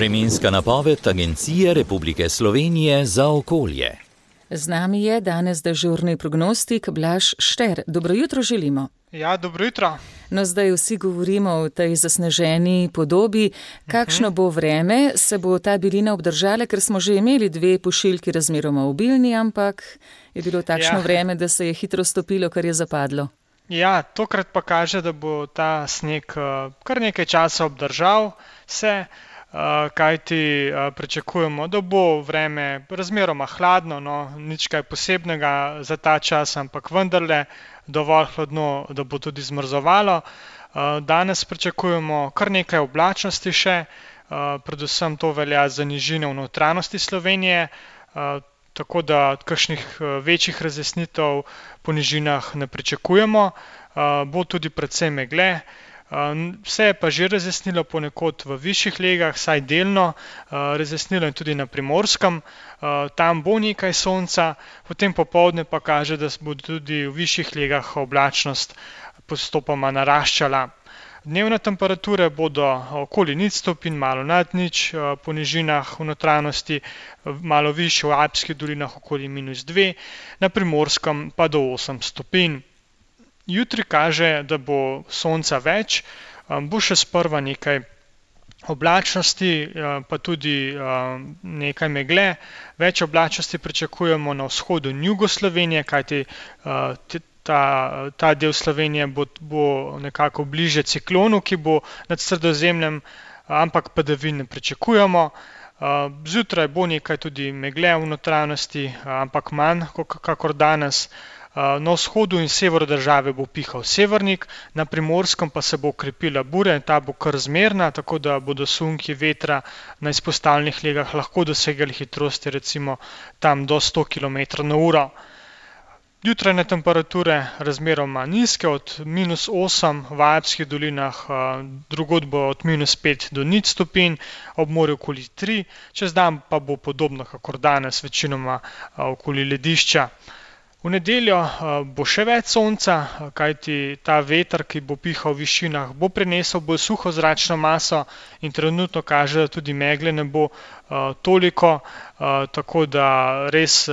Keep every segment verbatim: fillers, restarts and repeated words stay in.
Vremenska napoved Agencije Republike Slovenije za okolje. Z nami je danes dežurni prognostik Blaž Šter. Dobro jutro želimo. Ja, dobro jutro. No, zdaj vsi govorimo o tej zasneženi podobi. Kakšno bo vreme, se bo ta bilina obdržala, ker smo že imeli dve pošiljki razmeroma obilni, ampak je bilo takšno ja. vreme, da se je hitro stopilo, kar je zapadlo. Ja, tokrat pa kaže, da bo ta sneg kar nekaj časa obdržal se, kajti pričakujemo, da bo vreme razmeroma hladno, no, nič kaj posebnega za ta čas, ampak vendarle dovolj hladno, da bo tudi zmrzovalo. Danes pričakujemo kar nekaj oblačnosti še, predvsem to velja za nižine v notranjosti Slovenije, tako da kakšnih večjih razjasnitev po nižinah ne pričakujemo. Bo tudi precej megle. Vse je pa že razjasnilo ponekod v višjih legah, saj delno, razjasnilo je tudi na Primorskem, tam bo nekaj sonca, potem popoldne pa kaže, da bo tudi v višjih legah oblačnost postopoma naraščala. Dnevne temperature bodo okoli nič stopinj, malo nad nič, po nižinah v notranjosti, malo višje v Alpskih dolinah okoli minus dve, na Primorskem pa do osem stopinj. Jutri kaže, da bo sonca več, bo še sprva nekaj oblačnosti, pa tudi nekaj megle. Več oblačnosti pričakujemo na vzhodu in jugu Slovenije, kajti ta, ta del Slovenije bo, bo nekako bliže ciklonu, ki bo nad Sredozemljem, ampak padavin ne pričakujemo. Zjutraj bo nekaj tudi megle v notranjosti, ampak manj kakor danes. Na vzhodu in severu države bo pihal severnik, na Primorskem pa se bo okrepila burja in ta bo kar zmerna, tako da bodo sunki vetra na izpostavljenih legah lahko dosegali hitrosti recimo tam do sto kilometrov na uro. Jutrajne temperature razmeroma nizke, od minus osem v Alpskih dolinah, drugod bo od minus pet do nič stopinj, ob morju okoli tri, čez dan pa bo podobno kakor danes, večinoma okoli ledišča. V nedeljo bo še več sonca, kajti ta veter, ki bo pihal v višinah, bo prinesel bolj suho zračno maso in trenutno kaže, da tudi megle ne bo toliko, tako da res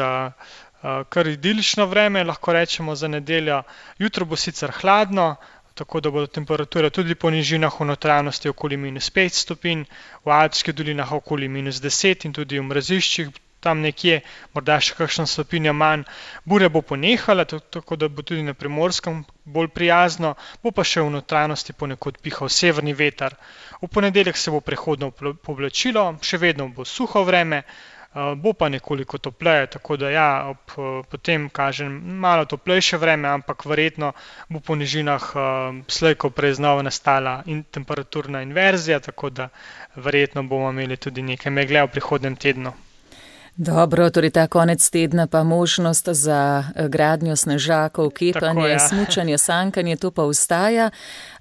kar idilično vreme, lahko rečemo za nedeljo. Jutro bo sicer hladno, tako da bodo temperature tudi po nižinah v notranjosti okoli minus pet stopinj, v Alpskih dolinah okoli minus deset in tudi v mraziščih tam nekje, morda še kakšna stopinja manj. Burja bo ponehala, tako da bo tudi na Primorskem bolj prijazno, bo pa še v notranjosti ponekod pihal severni veter. V ponedeljek se bo prehodno povlačilo, še vedno bo suho vreme, bo pa nekoliko topleje, tako da ja, ob, potem kažem malo toplejše vreme, ampak verjetno bo po nižinah slej ko prej znova nastala in temperaturna inverzija, tako da verjetno bomo imeli tudi nekaj megle v prihodnjem tednu. Dobro, torej ta konec tedna pa možnost za gradnjo snežakov, kepanje, ja. smučanje, sankanje, to pa ostaja.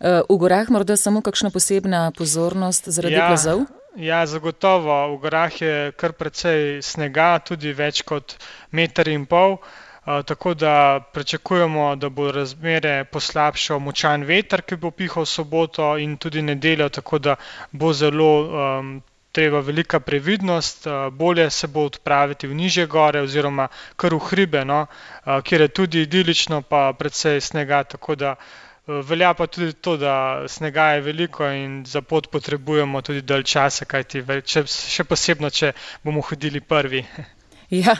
V gorah morda samo kakšna posebna pozornost zaradi ja, plazov? Ja, zagotovo. V gorah je kar precej snega, tudi več kot meter in pol, tako da pričakujemo, da bo razmere poslabšal močan veter, ki bo pihal v soboto in tudi nedeljo, tako da bo zelo um, treba velika previdnost, bolje se bo odpraviti v nižje gore oziroma kar v hribe, no, kjer je tudi idilično pa precej snega, tako da velja pa tudi to, da snega je veliko in za pot potrebujemo tudi dalj časa, kajti še posebno, če bomo hodili prvi. Ja,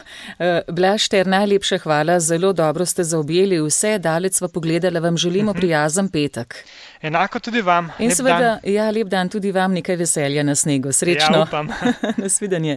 Blaž Šter, najlepša hvala, zelo dobro ste zaobjeli vse, daleč sva pogledala, vam želimo prijazen petek. Enako tudi vam. In seveda, ja, lep dan tudi vam, nekaj veselja na snegu. Srečno. Ja, upam. Nasvidenje.